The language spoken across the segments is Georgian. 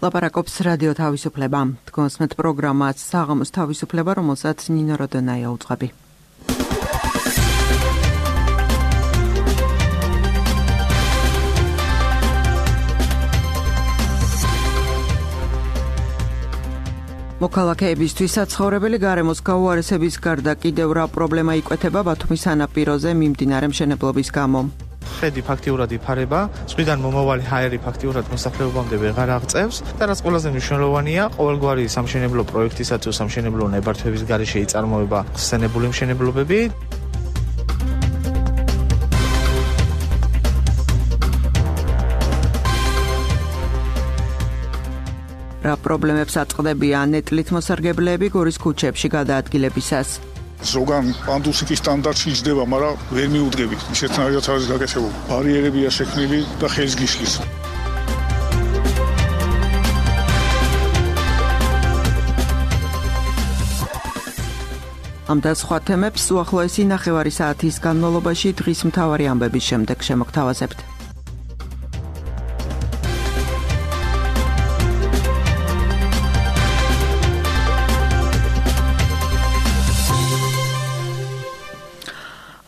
ლაპარაკობს რადიო თავისუფლება. თქვენსმეთ პროგრამას საღამოს თავისუფლება, რომელსაც ნინო როდონაია უძღვები. მოქალაქეებისთვის საცხოვრებელი გარემოს გაუარესების გარდა კიდევ რა პრობლემა იკვეთება ბათუმის სანაპიროზე მიმდინარე მშენებლობის გამო? ხედი ფაქტიურად იფარება, ზღვიდან მომავალი ჰაერი ფაქტიურად მოსახლეობამდე ვეღარ აღწევს და რაც ყველაზე მნიშვნელოვანია, ყოველგვარი სამშენებლო პროექტისა თუ სამშენებლო ნებართვების გარეშე იწარმოება ხსენებული მშენებლობები. რა პრობლემებს აწყდებიან ნეტლით მოსარგებლეები გორის ქუჩებში გადაადგილებისას? ზოგან პანდუსიკის სტანდარტში იჯდება, მაგრამ ვერ მიუდგებით. ისეთნაირად არის გაკეთებული. ბარიერებია შექმნილი და ხელს გიშლის. ამ და სხვა თემებს უახლოესი ნახევარი საათის განმავლობაში დღის მთავარი ამბების შემდეგ შემოგთავაზებთ.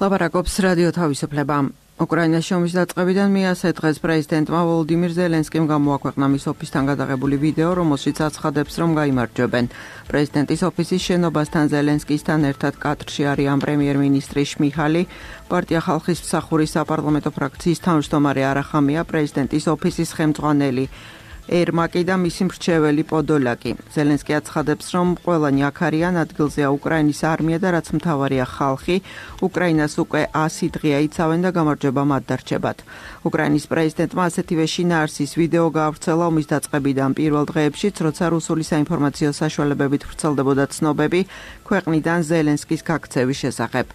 ლაპარაკობს რადიო თავისუფლება. უკრაინაში ომის დაწყებიდან მეასე დღეს პრეზიდენტმა ვოლოდიმირ ზელენსკიმ გამოაქვეყნა მის ოფისთან გადაღებული ვიდეო, რომელშიც აცხადებს, რომ გაიმარჯვებენ. პრეზიდენტის ოფისის შენობასთან ზელენსკისთან ერთად კადრში არიან პრემიერ-მინისტრი შმიჰალი, პარტია ხალხის მსახურის საპარლამენტო ფრაქციის თავმჯდომარე არახამია, პრეზიდენტის ოფისის ხელმძღვანელი ერმაკი და მისი მრჩეველი პოდოლაკი. ზელენსკი აცხადებს, რომ ყველანი აქ არიან, ადგილზეა უკრაინის არმია და რაც მთავარია ხალხი, უკრაინას უკვე 100 დღეა იცავენ და გამარჯვება მათ დარჩებათ. უკრაინის პრეზიდენტმა ასეთივე შინაარსის ვიდეო გაავრცელა ომის დაწყებიდან პირველ დღეებშიც, როცა რუსული საინფორმაციო საშუალებებით ვრცელდებოდა ცნობები ქვეყნიდან ზელენსკის გაქცევის შესახებ.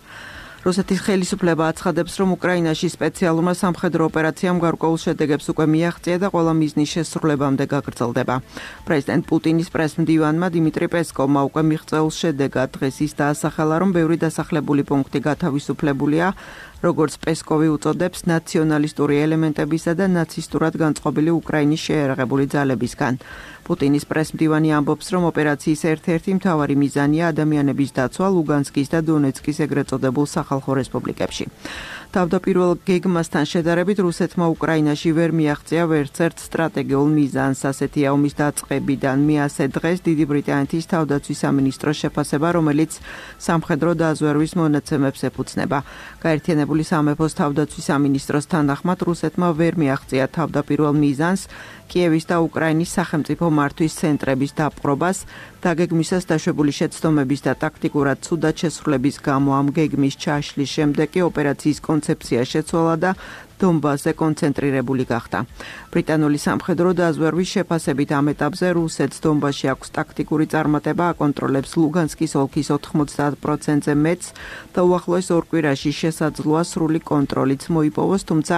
რუსეთის ხელისუფლება აცხადებს, რომ უკრაინაში სპეციალურმა სამხედრო ოპერაციამ გარკვეულ შედეგებს უკვე მიაღწია და ყველა მიზნის შესრულებამდე გაგრძელდება. პრეზიდენტ პუტინის პრესმდივანმა დიმიტრი პესკოვმა უკვე მიღწეულ შედეგად დღეს ის დაასახელა, რომ ბევრი დასახლებული პუნქტი გათავისუფლებულია, როგორც პესკოვი უწოდებს, ნაციონალისტური ელემენტებისა და ნაცისტურად განწყობილი უკრაინის შეიარაღებული ძალებისგან. პუტინის პრესმდივანი ამბობს, რომ ოპერაციის ერთ-ერთი მთავარი მიზანია ადამიანების დაცვა ლუგანსკის და დონეცკის ეგრეთ წოდებულ სახალხო რესპუბლიკებში. თავდაპირველ გეგმასთან შედარებით რუსეთმა უკრაინაში ვერ მიაღწია ვერცერთ სტრატეგიულ მიზანს. ასეთია ომის დაწყებიდან მეასე დღეს დიდი ბრიტანეთის თავდაცვის სამინისტროს შეფასება, რომელიც სამხედრო დაზვერვის მონაცემებს ეფუძნება. გაერთიანებული სამეფოს თავდაცვის სამინისტროს თანახმად რუსეთმა ვერ მიაღწია თავდაპირველ მიზანს კიევის და უკრაინის სახელმწიფო მართვის ცენტრების დაპყრობას, დაგეგმვისას დაშვებული შეცდომების და ტაქტიკურად ცუდად შესრულების გამო ამ გეგმის ჩაშლის შემდეგ კი ოპერაციის კონცეფცია შეცვალა და დონბასზე კონცენტრირებული გახდა. ბრიტანული სამხედრო დაზვერვის შეფასებით ამ ეტაპზე რუსეთს დონბასში აქვს ტაქტიკური წარმატება, აკონტროლებს ლუგანსკის ოლქის 90%-ზე მეტს და უახლოეს ორ კვირაში შესაძლოა სრული კონტროლიც მოიპოვოს, თუმცა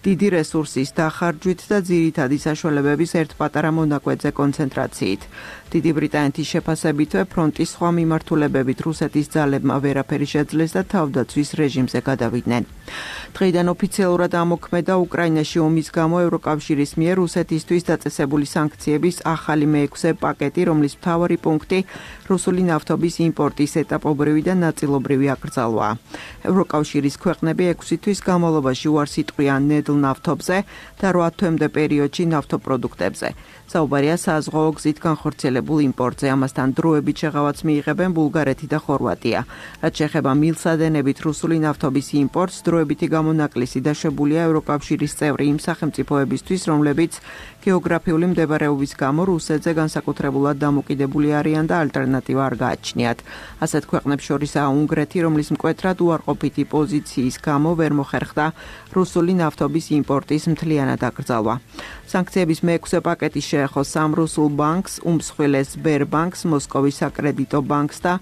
დიდი რესურსის დახარჯვით და ძირითადი საშუალებების ერთ პატარა მონაკვეთზე კონცენტრაციით. დიდი ბრიტანეთის შეფასებითვე ფრონტის სხვა მიმართულებებით რუსეთის ძალებმა ვერაფერი შეძლეს და თავდაცვის რეჟიმზე გადავიდნენ. დღეიდან ოფიციალურად ამოქმედა უკრაინაში ომის გამო ევროკავშირის მიერ რუსეთისთვის დაწესებული სანქციების ახალი მე-6 პაკეტი, რომლის მთავარი პუნქტი რუსული ნავთობის იმპორტის ეტაპობრივი და ნაწილობრივი აკრძალვაა. ევროკავშირის ქვეყნები 6 თვის განმავლობაში უარს იტყვიან ნედლ ნავთობზე და 8 თვემდე პერიოდში ნავთობპროდუქტებზე. საუბარია საზღვაო გზით განხორციელებულ იმპორტზე, ამასთან დროებით შეღავაც მიიღებენ ბულგარეთი და ხორვატია. რაც შეეხება მილსადენებით რუსული ნავთობის იმპორტს, დროებითი გამონაკლისი დაშვებულია ევროკავშირის წევრი იმ სახელმწიფოებისთვის, რომლებიც გეოგრაფიული მდებარეობის გამო რუსეთზე განსაკუთრებულად დამოკიდებული არიან და ალტერნატივა არ გააჩნიათ. ასეთ ქვეყნებს შორისაა უნგრეთი, რომლის მკვეთრად უარყოფითი პოზიციის გამო ვერ მოხერხდა რუსული ნავთობის იმპორტის მთლიანად აკრძალვა. სანქციების მე-6 პაკეტი შეეხო სამ რუსულ ბანკს, უმსხვილეს სბერბანკს, მოსკოვის საკრედიტო ბანკს და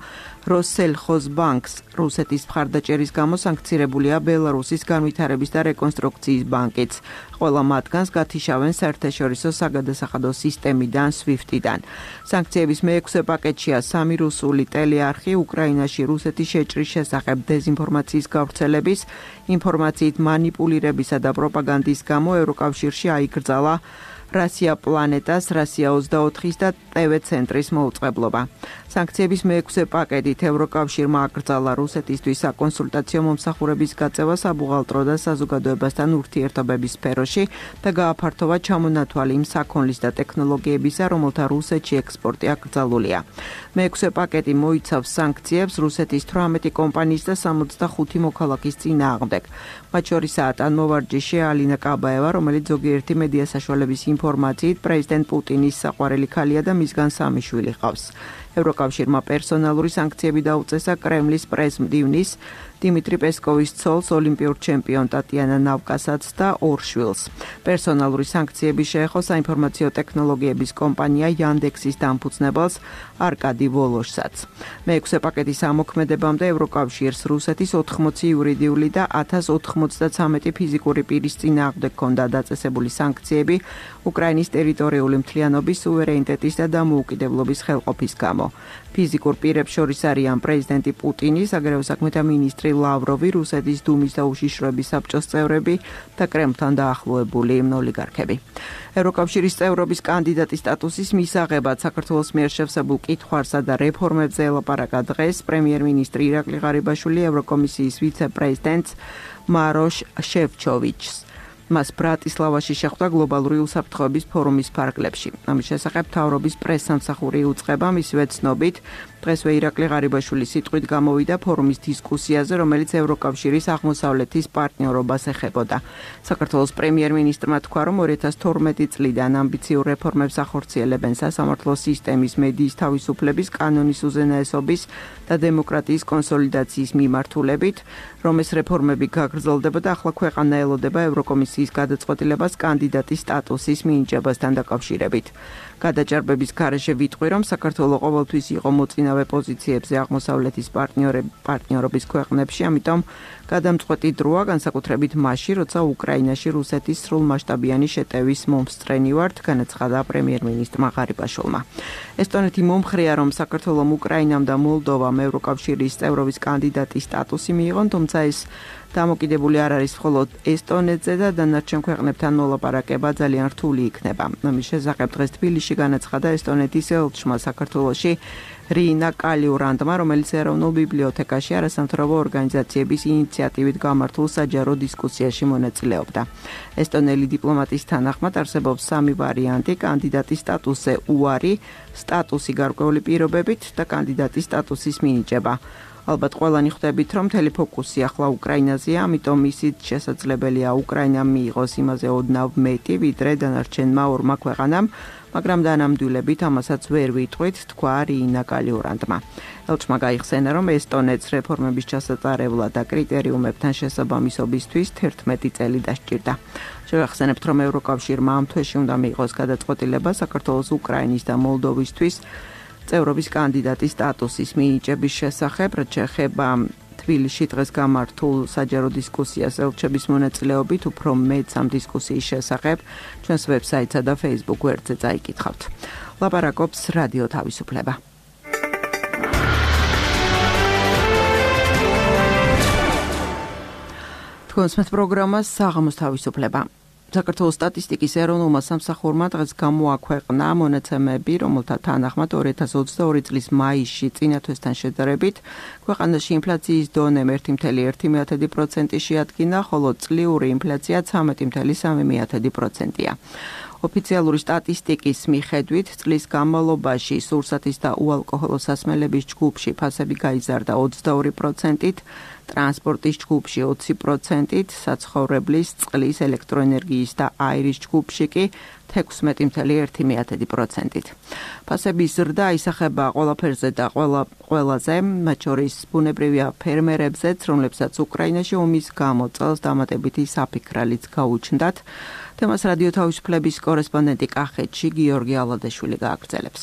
როსელხოზბანკს. რუსეთის მხარდაჭერის გამო სანქცირებულია ბელარუსის განვითარების და რეკონსტრუქციის ბანკიც. ყველა მათგანს გათიშავენ საერთაშორისო საგადასახადო სისტემიდან SWIFT-დან. სანქციების მე-6 პაკეტშია სამი რუსული ტელეარხი უკრაინაში რუსეთის შეჭრის შესახებ დეზინფორმაციის გავრცელების, ინფორმაციით მანიპულირებისა და პროპაგანდის გამო ევროკავშირში აიკრძალა Rassia Planetas, Rassia 24-ის და TV ცენტრის მოუწყებლობა. Სანქციების მეექვსე პაკეტით ევროკავშირმა აკრძალა რუსეთისთვის საკონსულტაციო მომსახურების გაწევა საბუღალტრო და საზოგადოებასთან ურთიერთობების სფეროში და გააფართოვა ჩამონათვალი იმ საქონლის და ტექნოლოგიებისა, რომელთა რუსეთში ექსპორტი აკრძალულია. მეექვსე პაკეტი მოიცავს სანქციებს რუსეთის 18 კომპანიის და 65 მოქალაქის წინააღმდეგ. მათ შორისაა ტანმოვარჯიშე ალინა კაბაევა, რომელიც ზოგიერთი მედია საშუალების ინფორმაციით პრეზიდენტ პუტინის საყვარელი ქალია და მისგან 3 შვილი ჰყავს. ევროკავშირმა პერსონალური სანქციები დაუწესა კრემლის პრეზ-მდივნის დიმიტრი პესკოვის ცოლს, ოლიმპიურ ჩემპიონ ტატიანა ნავკასაც და 2 შვილს. პერსონალური სანქციები შეეხო საინფორმაციო ტექნოლოგიების კომპანია Yandex-ის დამფუძნებელს არკადი ვოლოშსაც. მეექვსე პაკეტის ამოქმედებამდე ევროკავშირს რუსეთის 80 იურიდიული და 1093 ფიზიკური პირის წინააღმდეგ ჰქონდა დაწესებული სანქციები უკრაინის ტერიტორიული მთლიანობის, სუვერენიტეტის და დამოუკიდებლობის ხელყოფის გამო. ფიზიკურ პირებს შორის არიან პრეზიდენტი პუტინი, საგარეო საქმეთა მინისტრი ლავროვი, რუსეთის დუმის და უშიშროების საბჭოს წევრები და კრემლთან დაახლოებული ოლიგარქები. ევროკავშირის წევრობის კანდიდატის სტატუსის მისაღებად საქართველოს მიერ შევსებულ კითხვარსა და რეფორმებზე ელაპარაკა დღეს პრემიერ-მინისტრი ირაკლი ღარიბაშვილი ევროკომისიის ვიცე-პრეზიდენტს მაროშ შეფჩოვიჩს. მას ბრატისლავაში შეხვდა გლობალური უსაფრთხოების ფორუმის ფარგლებში. ამის შესახებ მთავრობის პრესსამსახური უწყება მისივე ცნობით დღესვე ირაკლი ღარიბაშვილი სიტყვით გამოვიდა ფორუმის დისკუსიაზე, რომელიც ევროკავშირის აღმოსავლეთის პარტნიორობას ეხებოდა. საქართველოს პრემიერ-მინისტრმა თქვა, რომ 2012 წლიდან ამბიციურ რეფორმებს ახორციელებენ სასამართლო სისტემის, მედიის თავისუფლების, კანონის უზენაესობის და დემოკრატიის კონსოლიდაციის მიმართულებით, რომ ეს რეფორმები გაგრძელდება და ახლა ქვეყანა ელოდება ევროკომისიის გადაწყვეტილებას კანდიდატის სტატუსის მინიჭებასთან დაკავშირებით. გადაჭარბების გარეშე ვიტყვი, რომ საქართველო ყოველთვის იყო მოწინავე პოზიციებზე აღმოსავლეთის პარტნიორობის ქვეყნებში, ამიტომ გადამწყვეტი დროა, განსაკუთრებით მაშინ, როცა უკრაინაში რუსეთის სრულმასშტაბიანი შეტევის მომსწრენი ვართ, განაცხადა პრემიერ-მინისტრმა ღარიბაშვილმა. ესტონეთი მომხრეა, რომ საქართველომ უკრაინამ და მოლდოვამ ევროკავშირის წევრობის კანდიდატის სტატუსი მიიღონ, თუმცა ეს დამოკიდებული არ არის მხოლოდ ესტონეთზე და დანარჩენ ქვეყნებთან მოლაპარაკება ძალიან რთული იქნება. ამის შესახებ დღეს თბილისში განაცხადა ესტონეთის ელჩმა საქართველოში რინა კალიურანდმა, რომელიც ეროვნულ ბიბლიოთეკაში არასამთავრობო ორგანიზაციების ინიციატივით გამართულ საჯარო დისკუსიაში მონაწილეობდა. ესტონელი დიპლომატის თანახმად არსებობს 3 ვარიანტი: კანდიდატის სტატუსზე უარი, სტატუსი გარკვეული პირობებით და კანდიდატის სტატუსის მინიჭება. ალბათ ყველანი ხვდებით, რომ მთელი ფოკუსი ახლა უკრაინაზეა, ამიტომ ისიც შესაძლებელია უკრაინამ მიიღოს იმაზე ოდნავ მეტი, ვიდრე დანარჩენმა 2 ქვეყანამ, მაგრამ დანამდვილებით ამასაც ვერ ვიტყვით, თქვა რინა კალიურანდმა. ელჩმა გაიხსენა, რომ ესტონეთს რეფორმების ჩასატარებლად და კრიტერიუმებთან შესაბამისობისთვის 11 წელი დასჭირდა. შევახსენებთ, რომ ევროკავშირმა ამ თვეში უნდა მიიღოს გადაწყვეტილება საქართველოს, უკრაინის და მოლდოვისთვის წევრობის კანდიდატის სტატუსის მინიჭების შესახებ, რაც შეეხება თბილისში დღეს გამართულ საჯარო დისკუსიას ელჩების მონაწილეობით, უფრო მეტს ამ დისკუსიის შესახებ ჩვენს ვებსაიტსა და Facebook გვერდზე წაიკითხავთ. ლაპარაკობს რადიო თავისუფლება. თქვენს პროგრამას საღამოს თავისუფლება. საქართველოს სტატისტიკის ეროვნულმა სამსახურმა დღეს გამოაქვეყნა მონაცემები, რომელთა თანახმად 2022 წლის მაისში წინა თვესთან შედარებით ქვეყანაში ინფლაციის დონე 1.1% შეადგინა, ხოლო წლიური ინფლაცია 13.3%-ია. ოფიციალური სტატისტიკის მიხედვით წლის განმავლობაში სურსათის და უალკოჰოლო სასმელების ჯგუფში ფასები გაიზარდა 22%-ით, ტრანსპორტის ჯგუფში 20%-ით, საცხოვრებლის, წყლის, ელექტროენერგიის და აირის ჯგუფში კი 16.1%-ით. ფასების ზრდა ისახება ყველაფერზე და ყველაზე, მათ შორის ბუნებრივია ფერმერებზეც, რომლებსაც უკრაინაში ომის გამო წელს დამატებითი საფიქრალიც გაუჩნდათ. თემას რადიო თავისუფლების კორესპონდენტი კახეთში გიორგი ალადეშვილი გააგრძელებს.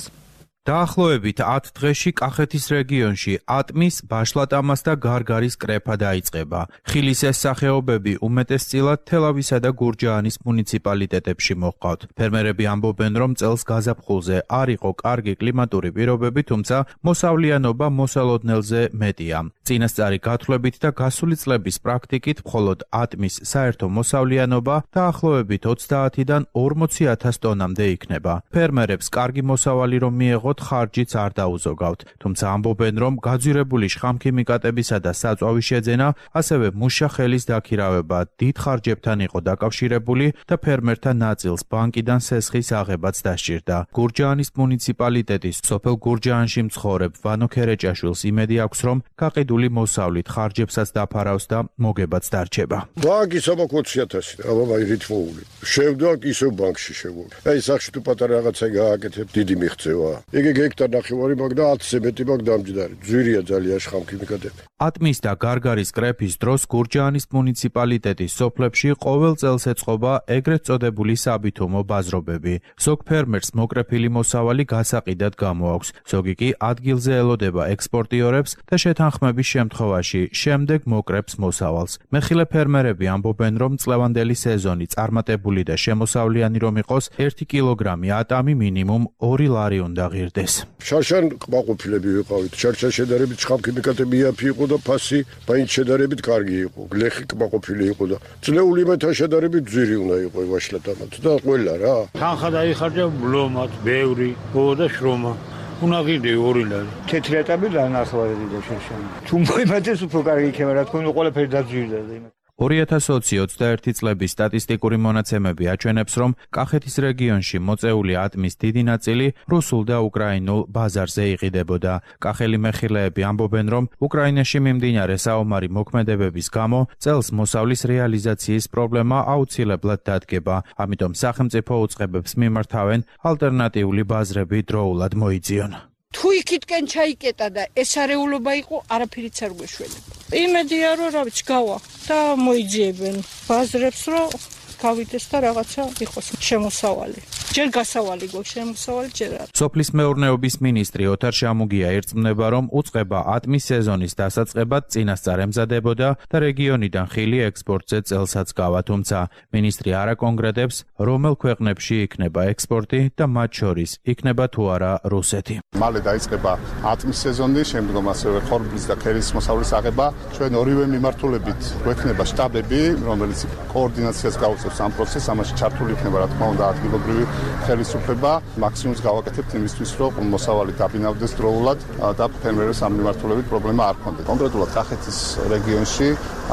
დაახლოებით 10 დღეში კახეთის რეგიონში ატმის, ბაშლატამას და გარგარის კრეფა დაიწყება. ხილის ეს სახეობები უმეტესწილად თელავისა და გურჯაანის მუნიციპალიტეტებში მოჰყავთ. ფერმერები ამბობენ, რომ წელს გაზაფხულზე არ იყო კარგი კლიმატური პირობები, თუმცა მოსავლიანობა მოსალოდნელზე მეტია. წინასწარი გათვლებით და გასული წლების პრაქტიკით მხოლოდ ატმის საერთო მოსავლიანობა დაახლოებით 30-დან 40,000 ტონამდე იქნება. ფერმერებს კარგი მოსავალი რომ მიეღოთ, ხარჯიც არ დაუზოგავთ, თუმცა ამბობენ, რომ გაძვირებული შხამქიმიკატებისა და საწვავის შეძენა, ასევე მუშა ხელის დაქირავება დიდ ხარჯებთან იყო დაკავშირებული და ფერმერთა ნაწილს ბანკიდან სესხის აღებაც დასჭირდა. გურჯაანის მუნიციპალიტეტის სოფელ გურჯაანში მცხოვრებ ვანო ქერეჭაშვილს იმედი აქვს, რომ გაყიდული მოსავლით ხარჯებსაც დაფარავს და მოგებაც დარჩება. ბანკი 20,000 აბა რითმოული. შევდა ისევ ბანკში შევული. აი სახში თუ პატარა რაღაცა გააკეთებ, დიდი მიღწევა. იგი გექტარ ნახევარი მაგ და 10-ზე მეტი მაგ დამჯდარი. ძვირია ძალიან შხამქიმიკატები. ატმის და გარგარის კრეფის დროს გურჯაანის მუნიციპალიტეტის სოფლებში ყოველ წელს ეწყობა ეგრეთ წოდებული საბითუმო ბაზრობები. ზოგ ფერმერს მოკრეფილი მოსავალი გასაყიდად გამოაქვს, ზოგი კი ადგილზე ელოდება ექსპორტიორებს და შეთანხმების შემთხვევაში შემდეგ მოკრეფს მოსავალს. მეხილე ფერმერები ამბობენ, რომ წლევანდელი სეზონი წარმატებული და შემოსავლიანი რომ იყოს, 1 კილოგრამი ატამი მინიმუმ 2 ლარი უნდა ღირდეს. შარშან კმაყოფილები ვიყავით. შარშან შედარებით შხამქიმიკატები იაფი იყო და ფასი მაინც შედარებით კარგი იყო. გლეხი კმაყოფილი იყო და წლეული მეთა შედარებით ძვირი უნდა იყო ვაშლატამაც და ყველა რა. თანხა დაიხარჯა ბლომად, ბევრი, და შრომა. უნდა ღირდე 2 ლარი. თეთრი ატამი დანახავდი და შარშან. თუ მოიმატეს უფრო კარგი იქნება, რა თქმა უნდა, ყველაფერი დაძვირდა და იმათ. 2020-21 წლების სტატისტიკური მონაცემები აჩვენებს, რომ კახეთის რეგიონში მოწეული ატმის დიდი ნაწილი რუსულ და უკრაინულ ბაზარზე იყიდებოდა. კახელი მეხილეები ამბობენ, რომ უკრაინაში მიმდინარე საომარი მოქმედებების გამო წელს მოსავლის რეალიზაციის პრობლემა აუცილებლად დადგება. ამიტომ სახელმწიფო უწყებებს მიმართავენ ალტერნატიული ბაზრები დროულად მოიძიონ. თუ იქითკენ ჩაიკეტა და ეს არეულობა იყო, არაფერიც არ გვეშველება. იმედია რომ რა ვიცი გავა და მოიძიებენ ბაზრებს რომ გავიდეს და რაღაცა იყოს შემოსავალი. ჯერ გასავალი გვაქვს შემოსავალი, ჯერ არ. სოფლის მეურნეობის მინისტრი ოთარ შამუგია ერწმუნება, რომ უწყება ატმის სეზონის დასაწყებად წინასწარ ემზადებოდა და რეგიონიდან ხილი ექსპორტზე წელსაც გავა, თუმცა მინისტრი არ აკონკრეტებს, რომელ ქვეყნებში იქნება ექსპორტი და მათ შორის იქნება თუ არა რუსეთი. მალე დაიწყება ატმის სეზონი, შემდგომ ასევე ხორბლის და ქერის მოსავლის აღება. ჩვენ ორივე მიმართულებით გვექნება შტაბები, რომელიც კოორდინაციას გაუწევს ამ პროცესს, ამაში ჩართული იქნება რა თქმა უნდა ადგილობრივი ხელისუფლება. მაქსიმუმს გავაკეთებთ იმისთვის, რომ მოსავალი დაბინავდეს დროულად და ფერმერებს ამ მიმართულებით პრობლემა არ ჰქონდეს. კონკრეტულად კახეთის რეგიონში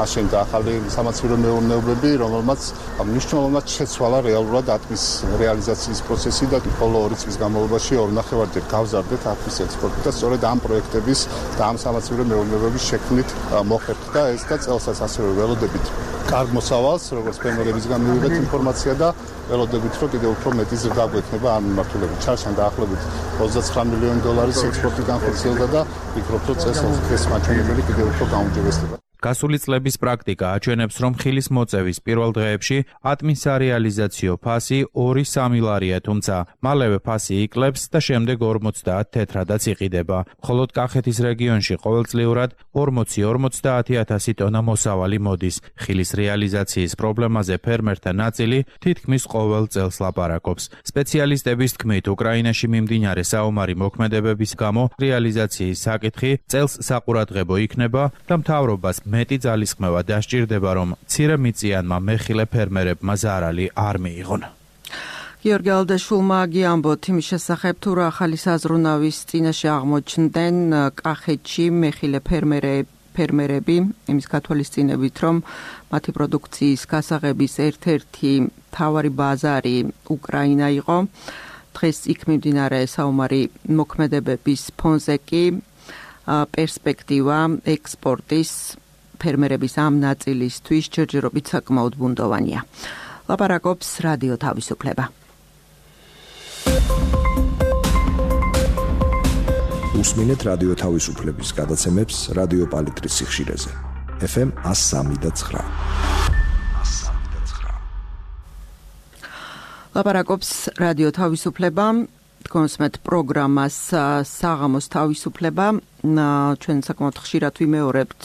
აშენდა ახალი სამაცივრო მეურნეობები, რომელმაც მნიშვნელოვნად შეცვალა რეალურად ატმის რეალიზაციის პროცესი და ბოლო 2 წლის განმავლობაში 2.5-ჯერ გავზარდეთ ატმის ექსპორტი და სწორედ ამ პროექტების და ამ სამაცივრო მეურნეობების შექმნით მოხერხდა ეს და წელსაც ასევე ველოდებით კარგ მოსავალს, როგორც ფერმერებისგან მივიღეთ ინფორმაცია და ველოდებით, რომ კიდევ უფრო მეტი ზრდა გვექნება ამ მიმართულებით. ჩარშან დაახლოებით $29 მილიონის ექსპორტი განხორციელდა და ვფიქრობ, რომ წელს ეს მაჩვენებელი კიდევ უფრო გაუმჯობესდება. გასული წლების პრაქტიკა აჩვენებს, რომ ხილის მოწევის პირველ დღეებში ატმის სარეალიზაციო ფასი 2-3 ლარია, თუმცა მალევე ფასი იკლებს და შემდეგ 50 თეთრადაც იყიდება. მხოლოდ კახეთის რეგიონში ყოველწლიურად 40-50 ტონა მოსავალი მოდის. ხილის რეალიზაციის პრობლემაზე ფერმერთა ნაწილი თითქმის ყოველ წელს ლაპარაკობს. სპეციალისტების თქმით, უკრაინაში მიმდინარე საომარი მოქმედებების გამო რეალიზაციის საკითხი წელს საყურადღებო იქნება და მთავრობას მეტი ძალისხმევა დასჭირდება, რომ მცირე მიწიანმა მეხილე ფერმერებმა ზარალი არ მიიღონ. გიორგი ალდაშვილმა გიამბოთ იმის შესახებ, თუ რა ახალი საზრუნავის წინაშე აღმოჩნდნენ კახეთში მეხილე ფერმერები, იმის გათვალისწინებით, რომ მათი პროდუქციის გასაღების ერთ-ერთი მთავარი ბაზარი უკრაინა იყო. დღეს იქ მიმდინარე საომარი მოქმედებების ფონზე კი პერსპექტივა ექსპორტის ფერმერების ამ ნაწილისთვის ჯერჯერობით საკმაოდ ბუნდოვანია. ლაპარაკობს რადიო თავისუფლება. უსმინეთ რადიო თავისუფლების გადაცემებს რადიო პალიტრის სიხშირეზე. FM 103.9. ლაპარაკობს რადიო თავისუფლება. კონსმეთ პროგრამას საღამოს თავისუფლება. ჩვენ საკმაოდ ხშირად ვიმეორებთ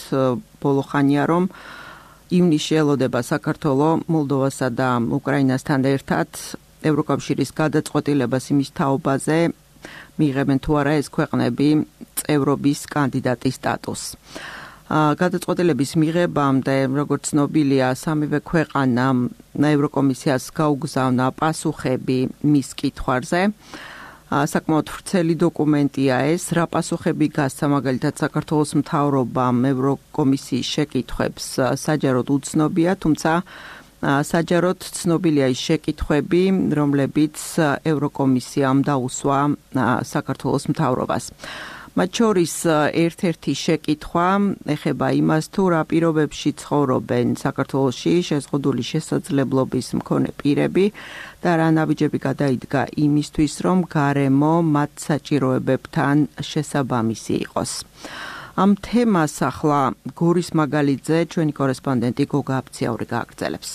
ბოლო ხანია, რომ ივნისში ელოდება საქართველოს, მოლდოვასა და უკრაინასთან ერთად ევროკავშირის გადაწყვეტილებას იმის თაობაზე მიიღებენ თუ არა ეს ქვეყნები წევრობის კანდიდატის სტატუსს. გადაწყვეტილების მიღებამდე, როგორც ცნობილია, სამივე ქვეყანამ ევროკომისიას გაუგზავნა პასუხები მის კითხვებზე. საკმაოდ ვრცელი დოკუმენტია ეს, რა პასუხები გასცა მაგალითად საქართველოს მთავრობამ ევროკომისიის შეკითხვებს საჯაროდ უცნობია, თუმცა საჯაროდ ცნობილია ის შეკითხვები, რომლებიც ევროკომისიამ დაუსვა საქართველოს მთავრობას. მათ შორის ერთ-ერთი შეკითხვა ეხება იმას, თუ რა პირობებში ცხოვრობენ საქართველოში შეზღუდული შესაძლებლობის მქონე პირები და რა ნაბიჯები გადაიდგა იმისთვის, რომ გარემო მათ საჭიროებებთან შესაბამისი იყოს. ამ თემას ახლა გორის მაგალითზე ჩვენი კორესპონდენტი გოგა აფციაური გააგრძელებს.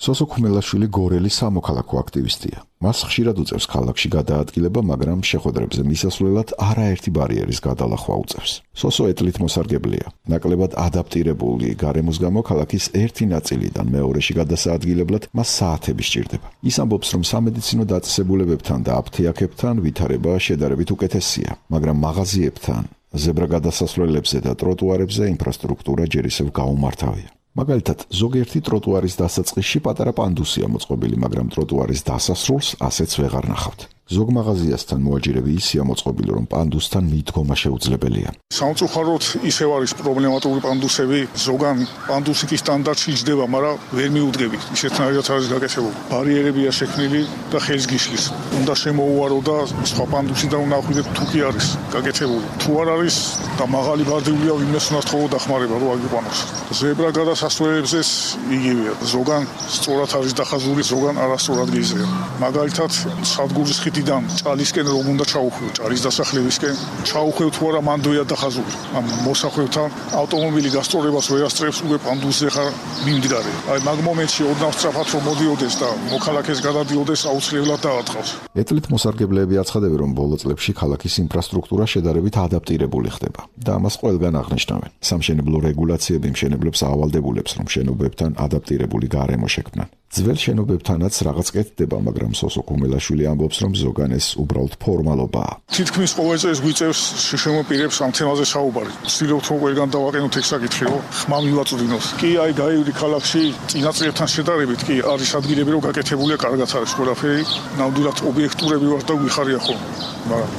სოსო ქუმელაშვილი გორელი სამოქალაქო აქტივისტია. მას ხშირად უწევს ქალაქში გადაადგილება, მაგრამ შეხვედრებზე მისასვლელად არაერთი ბარიერის გადალახვა უწევს. სოსო ეტლით მოსარგებლეა. ნაკლებად ადაპტირებული გარემოს გამო ქალაქის ერთი ნაწილიდან მეორეში გადასაადგილებლად მას საათები სჭირდება. ის ამბობს, რომ სამედიცინო დაწესებულებებთან და აფთიაქებთან ვითარება შედარებით უკეთესია, მაგრამ მაღაზიებთან, ზებრა გადასასვლელებზე და ტროტუარებზე ინფრასტრუქტურა ჯერ ისევ გაუმართავია. მაგალითად, ზოგიერთი ტროტუარის დასაწყისში პატარა პანდუსია მოწყობილი, მაგრამ ტროტუარის დასასრულს ასეც ვეღარ ნახავთ. ზოგ მაღაზიასთან მოაჯირები ისია მოწყობილი, რომ პანდუსთან მიდგომა შეუძლებელია. სამწუხაროდ ისევ არის პრობლემატური პანდუსები, ზოგან პანდუსი კი სტანდარტში იჯდება, მაგრამ ვერ მიუდგებით. ისეთნაირად არის გაკეთებული. ბარიერებია შექმნილი და ხელს გიშლის. უნდა შემოუარო და სხვა პანდუსი და უნდა ახვიდეთ თუ კი არის გაკეთებული. თუ არ არის და მაღალი ბარდიულია, ვინმეს უნდა თხოვო დახმარება, რომ აგიყვანოს. ზებრა გადასასვლელებზეც იგივეა. ზოგან სწორად არის დახაზული, ზოგან არასწორად გეიზრება. მაგალითად, სადგურის ხიდიდან ჭალისკენ რომ უნდა ჩაუხვიო, ჭალის დასახლებისკენ ჩაუხვევ თუ არა მანდოია დახაზული. ამ მოსახვევთან ავტომობილი გასწორებას ვერ ასწრებს, უკვე პანდუსზე ხარ მიმდგარე. აი მაგ მომენტში ოდნავ სწრაფად რომ მოდიოდეს და მოქალაქეს გადადიოდეს, აუცილებლად დაატყავს. ეტლით მოსარგებლეები აცხადებენ, რომ ბოლო წლებში ქალაქის ინფრასტრუქტურა შედარებით ადაპტირებული ხდება და ამას ყველგან აღნიშნავენ. სამშენებლო რეგულაციები მშენებლებს ავალდებულებს, რომ შენობებთან ადაპტირებული გარემო შექმნან. ძველ შენობებთანაც რაღაც კეთდება, მაგრამ სოსო ქუმელაშვილი ამბობს, რომ ზოგან ეს უბრალოდ ფორმალობაა. თითქმის ყოველ წელს გვიწევს შემოპირებს ამ თემაზე საუბარი. ვცდილობთ რომ ყველგან დავაყენოთ ეს საკითხი, რომ ხმა მივაწვდინოთ. კი, აი გაივli ქალაქში წინა წლებთან შედარებით კი არის ადგილები, რომ გაკეთებულია, კარგად არის ყველაფერი. ნამდვილად ობიექტურები ვარ და ვიხარია ხოლმე. მაგრამ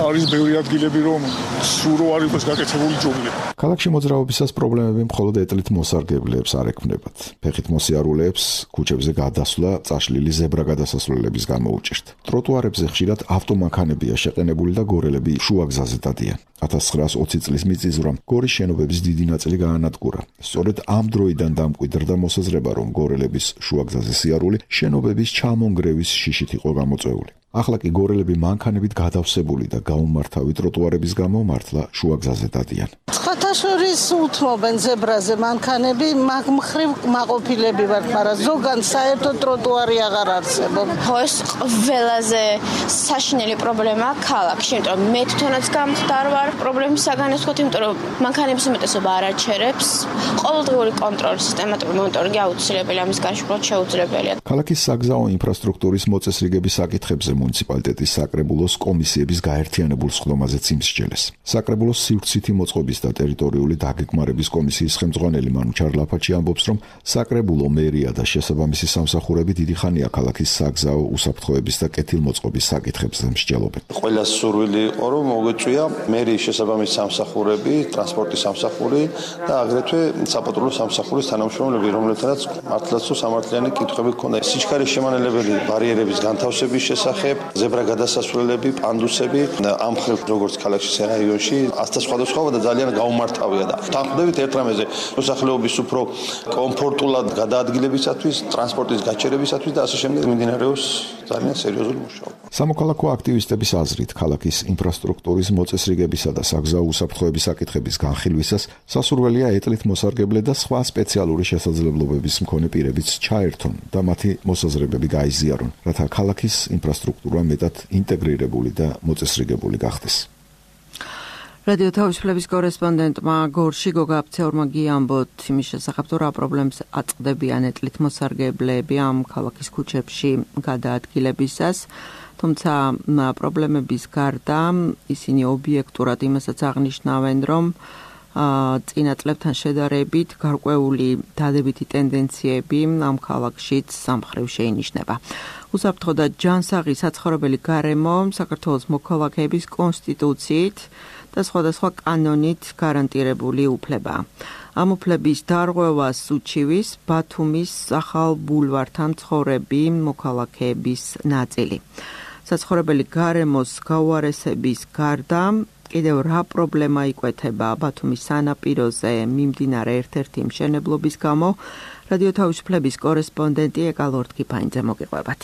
არის ბევრი ადგილები, რომ სულ რო არ იყოს გაკეთებული ჯობია. ქალაქში მოძრაობისას პრობლემები მხოლოდ ეტლით მოსარგებლეებს არ ექმნებათ. ფეხით მოსიარულეებს ქუჩებზე გადასვლა წაშლილი ზებრა გადასასვლელების გამო უჭირთ. ტროტუარებზე ხშირად ავტომანქანებია შეყენებული და გორელები შუაგზაზე დადიან. 1920 წლის მიწისძვრამ გორის შენობების დიდი ნაწილი გაანადგურა. სწორედ ამ დროიდან დამკვიდრდა მოსაზრება, რომ გორელების შუაგზაზე სიარული შენობების ჩამონგრევის შიშით იყო გამოწვეული. ახლა კი გორელები მანქანებით გადავსებული და გაუმართავი ტროტუარების გამო მართლა შუაგზაზე დადიან. ხათაშორის უთმობენ ზებრაზე მანქანები, მაგ მხრივ მაყოფილები ვართ, მაგრამ ზოგან საერთოდ ტროტუარი აღარ არსებობს. ეს ყველაზე საშინელი პრობლემაა ქალაქში, იმიტომ რომ მე თვითონაც გამხდარ ვარ პრობლემის საგანეს ვთქვათ, იმიტომ რომ მანქანების უმეტესობა არ აჩერებს. ყოველდღიური კონტროლი, სისტემატური მონიტორინგი აუცილებელია, ამის განშფოთება შეუძლებელია. ქალაქის საგზაო ინფრასტრუქტურის მოწესრიგების საკითხებზე მუნიციპალიტეტის საკრებულოს კომისიების გაერთიანებულ სხდომაზეც იმსჯელეს. საკრებულოს სივრცითი მოწყობის და ტერიტორიული დაგეგმარების კომისიის ხელმძღვანელი მანუ ჩარლაფაჩი ამბობს, რომ საკრებულო მერია და შესაბამისი სამსახურები დიდი ხანია ქალაქის საგზაო უსაფრთხოების და კეთილმოწყობის საკითხებზე მსჯელობენ. ყველა სურვილი იყო, რომ მოგეწვია მერიის შესაბამისი სამსახურები, ტრანსპორტის სამსახური და აგრეთვე საპატრულო სამსახურის თანამშრომლები, რომლებთანაც მართლაც სამართლიანი კითხვები ჰქონდა. სიჩქარის შემანელებელი ბარიერების განთავსების შესახებ, ზებრა გადასასვლელები, პანდუსები, ამ მხრივ როგორც ქალაქში რაიონში, ასთა სხვადასხვა და ძალიან გაუმართავია და თანხმდებით ერთ რამეზე, მოსახლეობის უფრო კომფორტულად გადაადგილებისათვის, ტრანსპორტის გაჩერებისათვის და ასე შემდეგ მიმდინარეობს ძალიან სერიოზული მუშაობა. სამოქალაქო აქტივისტების აზრით, ქალაქის ინფრასტრუქტურის მოწესრიგებისა და საგზაო უსაფრთხოების საკითხების განხილვისას სასურველია ეტლით მოსარგებლე და სხვა სპეციალური შესაძლებლობების მქონე პირებიც ჩაერთონ და მათი მოსაზრებები გაიზიარონ, რათა ქალაქის ინფრასტრუქტურა მეტად ინტეგრირებული და მოწესრიგებული გახდეს. რადიო თავისუფლების კორესპონდენტმა გორში გოგა აფცეორმა გიამბოთ იმის შესახებ, თუ რა პრობლემს აწყდებიან ეტლით მოსარგებლეები ამ ქალაქის ქუჩებში გადაადგილებისას. თუმცა პრობლემების გარდა ისინი ობიექტურად იმასაც აღნიშნავენ, რომ წინა წლებთან შედარებით გარკვეული დადებითი ტენდენციები ამ ქალაქშიც სამხრევ შეინიშნება. უსაფრთხო და ჯანსაღი საცხოვრებელი გარემო საქართველოს მოქალაქეების კონსტიტუციით და სხვადასხვა კანონით გარანტირებული უფლებაა. ამ უფლების დარღვევას უჩივის ბათუმის ახალ ბულვართან მცხოვრები მოქალაქეების ნაწილი. საცხოვრებელი გარემოს გაუარესების გარდა კიდევ რა პრობლემა იკვეთება ბათუმის სანაპიროზე მიმდინარე ერთ-ერთი მშენებლობის გამო, რადიო თავისუფლების კორესპონდენტი ეკალორთკიფაინძე მოგიყვებათ.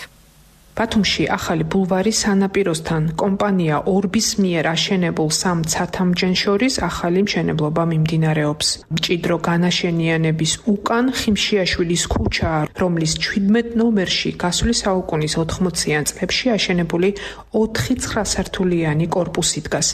ბათუმში ახალი ბულვარი სანაპიროსთან კომპანია ორბის მიერ აშენებულ სამ ცათამჯენ შორის ახალი მშენებლობა მიმდინარეობს. მჭიდრო განაშენიანების უკან ხიმშიაშვილის ქუჩა, რომლის 17 ნომერში გასული საუკუნის 80-იან წლებში აშენებული 4 9-სართულიანი კორპუსი დგას.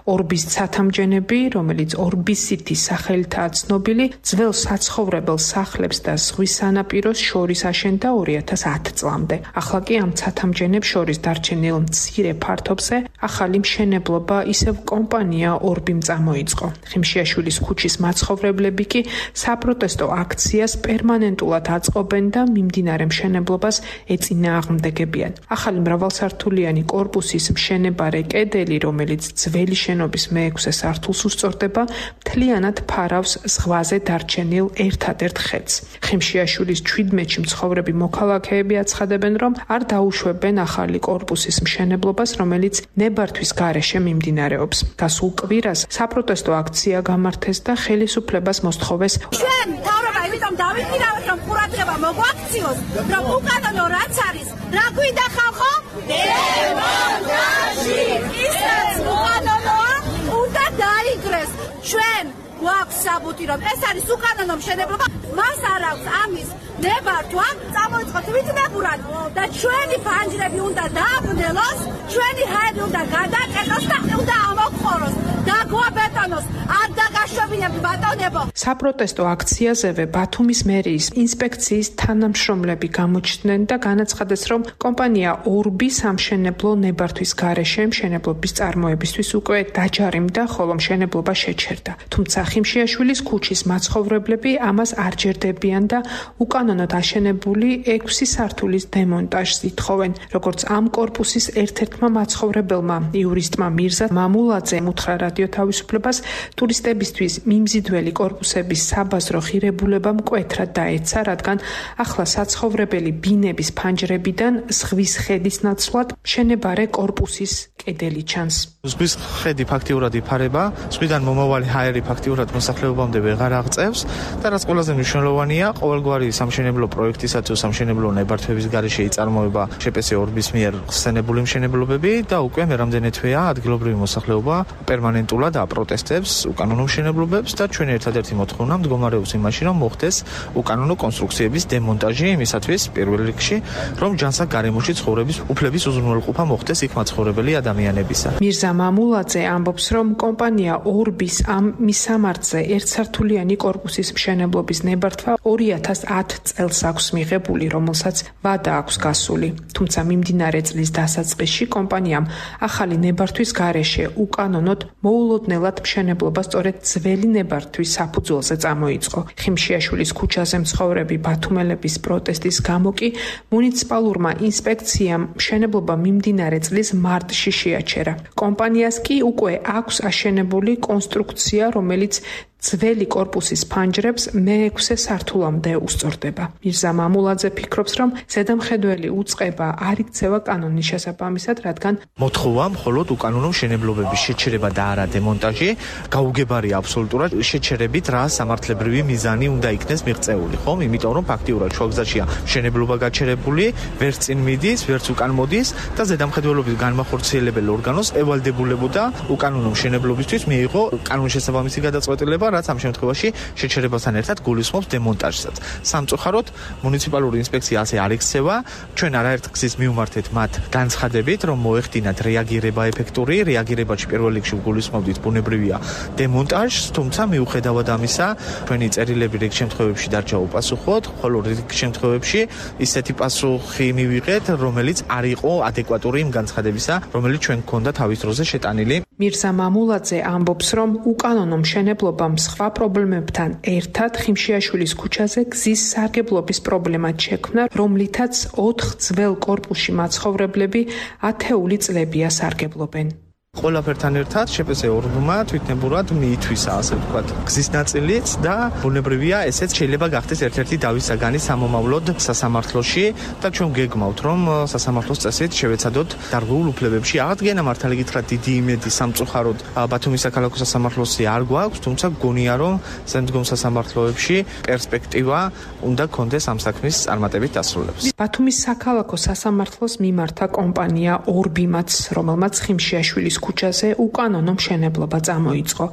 ორბის ცათამჯენები, რომელიც ორბისითის სახელითაა ცნობილი, ძველ საცხოვრებელ სახლებს და ზღვის სანაპიროს შორის აშენდა 2010 წლამდე. ახლა კი ამ თამჯენებს შორის დარჩენილ მცირე ფართობზე ახალი მშენებლობა ისევ კომპანია ორბიმ წამოიწყო. ხიმშიაშვილის ქუჩის მაცხოვრებლები კი საპროტესტო აქციას პერმანენტულად აწყობენ და მიმდინარე მშენებლობას ეწინააღმდეგებიან. ახალი მრავალსართულიანი კორპუსის მშენებარე კედელი, რომელიც ძველი შენობის მე-6 სართულს უსწორდება, მთლიანად ფარავს ზღვაზე დარჩენილ ერთადერთ ხედს. ხიმშიაშვილის 17-ში მცხოვრები მოქალაქეები აცხადებენ, რომ არ დაუშვებენ ახალი კორპუსის მშენებლობას, რომელიც ნებართვის გარეშე მიმდინარეობს. გასულ კვირას საპროტესტო აქცია გამართეს და ხელისუფლებას მოსთხოვეს ჩვენ მთავრობა იმიტომ დავიქირავეთ, რომ ყურადღება მოგვაქციოს, რომ უკანონო რაც არის, რა გვინდა ხალხო? დემონტაჟი! ისაც უკანონოა, უნდა დაიგრეს. ჩვენ გვაქვს საბუთი, რომ ეს არის უკანონო მშენებლობა, მას არ აქვს ამის ნებართვა, წამოიწყოთ ვიძნებურად და ჩვენი ფანჯრები უნდა დააბნელოს, ჩვენი ჰაერი უნდა გადაკეტოს და უნდა ამოყოროს, დაგვაბეტონოს, არ დაგაშვებინებთ ბატონებო. საპროტესტო აქციაზევე ბათუმის მერიის ინსპექციის თანამშრომლები გამოჩნდნენ და განაცხადეს, რომ კომპანია ორბი სამშენებლო ნებართვის გარეშე მშენებლობის წარმოებისთვის უკვე დაჯარიმდა, ხოლო მშენებლობა შეჩერდა. თუმცა ხიმშიაშვილის ქუჩის მაცხოვრებლები ამას არ ჯერდებიან და უკანონოდ აშენებული 6 სართულის დემონტაჟს ითხოვენ. როგორც ამ კორპუსის ერთ-ერთმა მაცხოვრებელმა იურისტმა მირზა მამულაძემ უთხრა რადიო თავისუფლებას, ტურისტებისთვის მიმზიდველი კორპუსების საბაზრო ღირებულება მკვეთრად დაეცა, რადგან ახლა საცხოვრებელი ბინების ფანჯრებიდან ზღვის ხედის ნაცვლად მშენებარე კორპუსის კედელი ჩანს. ზღვის ხედი ფაქტიურად იფარება, ზღვიდან მომავალი ჰაერი ფაქტიურად მოსახლეობამდე ვეღარ აღწევს და რაც ყველაზე მნიშვნელოვანია, ყოველგვარი სამშენებლო პროექტისა თუ სამშენებლო ნებართვების გარეშე იწარმოება შპს ორბის მიერ ხსენებული მშენებლობები და უკვე მე რამდენი თვეა ადგილობრივი მოსახლეობა პერმანენტულად აპროტესტებს უკანონო მშენებლობებს და ჩვენი ერთადერთი მოთხოვნა მდგომარეობს იმაში, რომ მოხდეს უკანონო კონსტრუქციების დემონტაჟი იმისათვის პირველ რიგში, რომ ჯანსაღ გარემოში ცხოვრების უფლების უზრუნველყოფა მოხდეს იქ მაცხოვრებელი ადამიანებისა. მირზა მამულაძე ამბობს, რომ კომპანია ორბის ამ მისამართზე ერთსართულიანი კორპუსის მშენებლობის ნებართვა 2010 წელს აქვს მიღებული, რომელსაც ვადა აქვს გასული. თუმცა მიმდინარე წლის დასაწყისში კომპანიამ ახალი ნებართვის გარეშე უკანონოდ მოულოდნელად მშენებლობა სწორედ ძველი ნებართვის საფუძველზე წამოიწყო. ხიმშიაშვილის ქუჩაზე მცხოვრები ბათუმელების პროტესტის გამო კი მუნიციპალურმა ინსპექციამ მშენებლობა მიმდინარე წლის მარტში შეაჩერა. კომპანიას კი უკვე აქვს აშენებული კონსტრუქცია, რომელიც ძველი კორპუსის ფანჯრებს მე-6 სართულამდე უსწორდება. მირზა მამულაძე ფიქრობს, რომ ზედამხედველი უწყება არ იქცევა კანონის შესაბამისად, რადგან მოთხოვა მხოლოდ უკანონო მშენებლობების შეჩერება და არა დემონტაჟი, გაუგებარია აბსოლუტურად შეჩერებით რა სამართლებრივი მიზანი უნდა იქნეს მიღწეული, ხომ? იმიტომ რომ ფაქტიურად შუაგზაშია მშენებლობა გაჩერებული, ვერც წინ მიდის, ვერც უკან მოდის და ზედამხედველობის განმახორციელებელ ორგანოს ევალდებულებოდა უკანონო მშენებლობისთვის მიიღო კანონის შესაბამისი გადაწყვეტილება ხდება, რაც ამ შემთხვევაში შეჩერებასთან ერთად გულისხმობს დემონტაჟსაც. სამწუხაროდ მუნიციპალური ინსპექცია ასე არ იქცევა. ჩვენ არაერთ გზის მივმართეთ მათ განცხადებით, რომ მოეხდინათ რეაგირება ეფექტური, რეაგირებაში პირველ რიგში გულისხმობდით ბუნებრივია დემონტაჟს, თუმცა მიუხედავად ამისა, ჩვენი წერილები რიგ შემთხვევებში დარჩა უპასუხოდ, ხოლო რიგ შემთხვევებში ისეთი პასუხი მივიღეთ, რომელიც არ იყო ადეკვატური იმ განცხადებისა, რომელიც ჩვენ გქონდა თავის დროზე შეტანილი. მირზა მამულაძე ამბობს, რომ უკანონო მშენებლობამ სხვა პრობლემებთან ერთად ხიმშიაშვილის ქუჩაზე გზის სარგებლობის პრობლემა შექმნა, რომლითაც 4 ძველ კორპუსში მაცხოვრებლები ათეული წლებია სარგებლობენ. ყველაფერთან ერთად შეპესე ორგანმა თვითნებურად მიითვისა, ასე ვთქვათ, გზის ნაწილიც და ბუნებრივია, ესეც შეიძლება გახდეს ერთ-ერთი დავის საგანი სამომავლოდ სასამართლოში და ჩვენ გეგმავთ, რომ სასამართლოს წესით შევეცადოთ დარღვეულ უფლებებში აღდგენა. მართალი გითხრათ, დიდი იმედი სამწუხაროდ ბათუმის საქალაქო სასამართლოსი არ გვაქვს, თუმცა გონია, რომ შემდგომ სასამართლოებში პერსპექტივა უნდა გქონდეს ამ საქმის წარმატებით დასრულებას. ბათუმის საქალაქო სასამართლოს მიმართა კომპანია ორბიმაც, რომელმაც ხიმშიაშვილის ქუჩაზე უკანონო მშენებლობა წამოიწყო.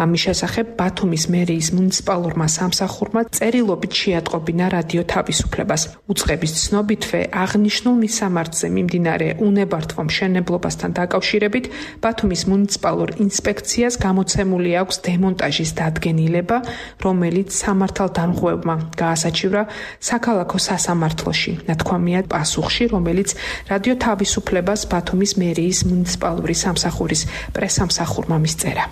ამის შესახებ ბათუმის მერიის მუნიციპალურმა სამსახურმა წერილობით შეატყობინა რადიო თავისუფლებას. უწყების ცნობითვე აღნიშნულ მისამართზე მიმდინარე უნებართვო მშენებლობასთან დაკავშირებით ბათუმის მუნიციპალურ ინსპექციას გამოცემული აქვს დემონტაჟის დადგენილება, რომელიც სამართალდამხმარებმა გაასაჩივრა საქალაქო სასამართლოში. ნათქვამია პასუხში, რომელიც რადიო თავისუფლებას ბათუმის მერიის მუნიციპალური სამსახურის პრესამსახურმა მისწერა.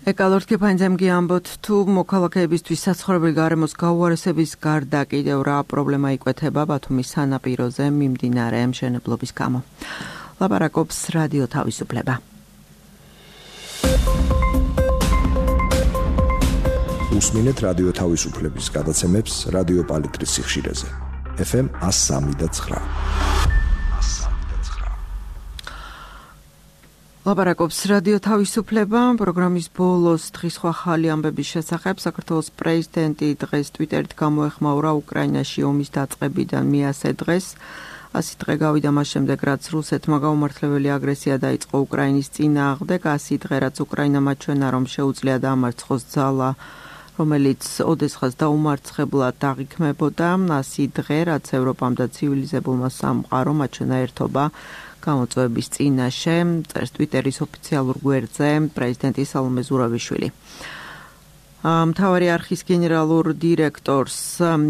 ეკალორტკი ფანძემგი ამბობთ, თუ მოქალაქეებისთვის საცხოვრებელი გარემოს გაუარესების გარდა კიდევ რა პრობლემა იკვეთება ბათუმის სანაპიროზე მიმდინარე მშენებლობის გამო. ლაპარაკობს რადიო თავისუფლება. უსმინეთ რადიო თავისუფლების გადაცემებს რადიო პალიტრის სიხშირეზე. FM 103.9. ლაპარაკობს რადიო თავისუფლება. პროგრამის ბოლოს დღის სხვა ხალი ამბების შესახებ საქართველოს პრეზიდენტი დღეს ტვიტერით გამოეხმაურა უკრაინაში ომის დაწყებიდან მე-100 დღეს. 100 დღე გავიდა მას შემდეგ, რაც რუსეთმა გაუმართლებელი აგრესია დაიწყო უკრაინის წინააღმდეგ. 100 დღე, რაც უკრაინამ აჩვენა, რომ შეუძლია დაამარცხოს ძალა, რომელიც ოდესღაც დაუმარცხებლად აღიქმებოდა. 100 დღე, რაც ევროპამ და ცივილიზებულმა სამყარომ აჩვენა ერთობა გამოწვევების წინაშე, წერს ტვიტერის ოფიციალურ გვერდზე პრეზიდენტი სალომე ზურავიშვილი. მთავარი არხის გენერალურ დირექტორს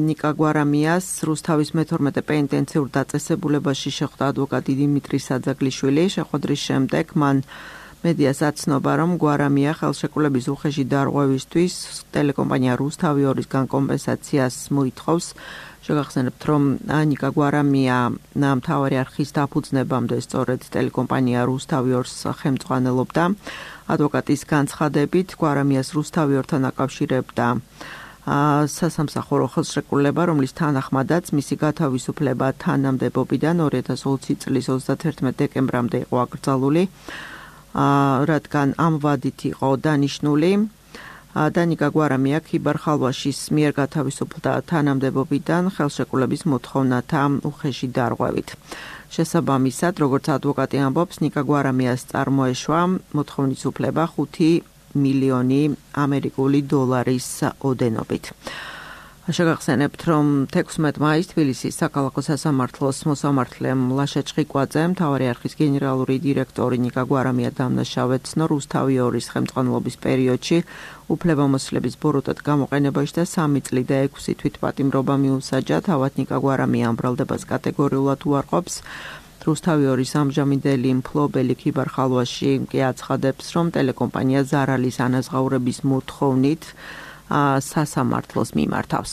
ნიკა გვარამიას რუსთავის მე-12 პენიტენციურ დაწესებულებაში შეხვდა ადვოკატი დიმიტრი საძაგლიშვილი. შეხვედრის შემდეგ მან მედიას აცნობა, რომ გვარამია ხელშეკრულების უხეში დარღვევისთვის ტელეკომპანია რუსთავი 2-ისგან კომპენსაციას მოითხოვს. შეგახსენებთ, რომ ნიკა გვარამია მთავარი არხის დაფუძნებამდე სწორედ ტელეკომპანია რუსთავი 2-ს ხელმძღვანელობდა. ადვოკატის განცხადებით, გვარამიას რუსთავი 2-თან აკავშირებდა სასამსახურო ხელშეკრულება, რომლის თანახმადაც მისი გათავისუფლება თანამდებობიდან 2020 წლის 31 დეკემბრამდე იყო აკრძალული, რადგან ამ ვადით იყო დანიშნული. დანიკა გვარამია ქიბარ-ხალვაშის მიერ გათავისუფლდა თანამდებობიდან ხელშეკრულების მოთხოვნათა უხეში დარღვევით. შესაბამისად, როგორც ადვოკატი ამბობს, ნიკა გვარამიას წარმოეშვა მოთხოვნის უფლება 5 მილიონი ამერიკული დოლარის ოდენობით. შეგახსენებთ, რომ 16 მაისს თბილისის საქალაქო სასამართლოს მოსამართლემ ლაშა ჭყიკვაძე მთავარი არხის გენერალური დირექტორი ნიკა გვარამია დამნაშავედ ცნო რუსთავი 2-ის ხელმძღვანელობის პერიოდში უფლებამოსილების ბოროტად გამოყენებაში და 3 წლი და 6 თვით პატიმრობა მიუსაჯა. თავად ნიკა გვარამია ამ ბრალდებას კატეგორიულად უარყოფს. რუსთავი 2-ის ამჟამინდელი მფლობელი ქიბარ-ხალვაში კი აცხადებს, რომ ტელეკომპანია ზარალის ანაზღაურების მოთხოვნით სასამართლოს მიმართავს.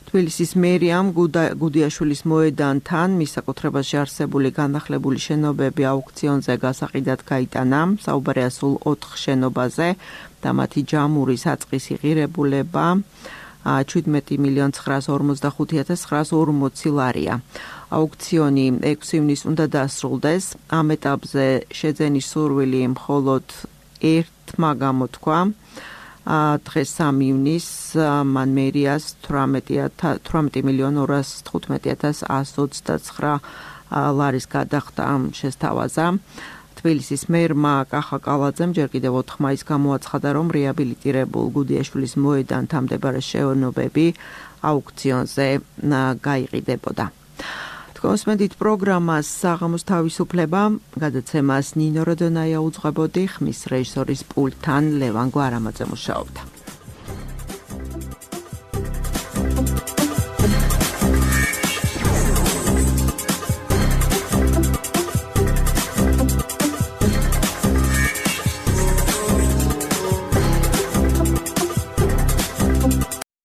თბილისის მერიამ გუდიაშვილის მოედანთან მის საკუთრებაში არსებული განახლებული შენობები აუქციონზე გასაყიდად გაიტანა. საუბარია სულ 4 შენობაზე და მათი ჯამური საწყისი ღირებულება 17.945.940 ლარია. აუქციონი 6 ივნისს უნდა დასრულდეს. ამ ეტაპზე შეძენის სურვილი მხოლოდ ერთმა გამოთქვა. დღეს 3 ივნისს მან მერიას 18.215.129 ლარის გადახდა შესთავაზა. თბილისის მერმა კახა კალაძემ ჯერ კიდევ 4 მაისს გამოაცხადა, რომ რეაბილიტირებულ გუდიაშვილის მოედანთან მდებარე შენობები აუქციონზე გაიყიდებოდა. Თქვენსმენდით პროგრამას საღამოს თავისუფლება, გადაცემას ნინო როდონაია უძღვებოდი, ხმის რეჟისორის პულტთან ლევან გვარამაძე მუშაობდა.